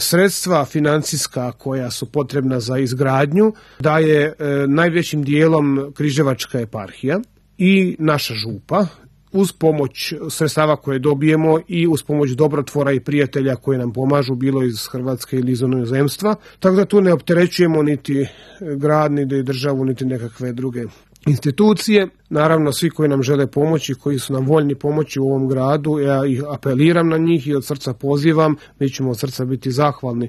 Sredstva financijska koja su potrebna za izgradnju daje najvećim dijelom Križevačka eparhija i naša župa, uz pomoć sredstava koje dobijemo i uz pomoć dobrotvora i prijatelja koji nam pomažu, bilo iz Hrvatske ili iz inozemstva. Tako da tu ne opterećujemo niti grad, niti državu, niti nekakve druge institucije. Naravno, svi koji nam žele pomoći, koji su nam voljni pomoći u ovom gradu, ja ih apeliram na njih i od srca pozivam, mi ćemo od srca biti zahvalni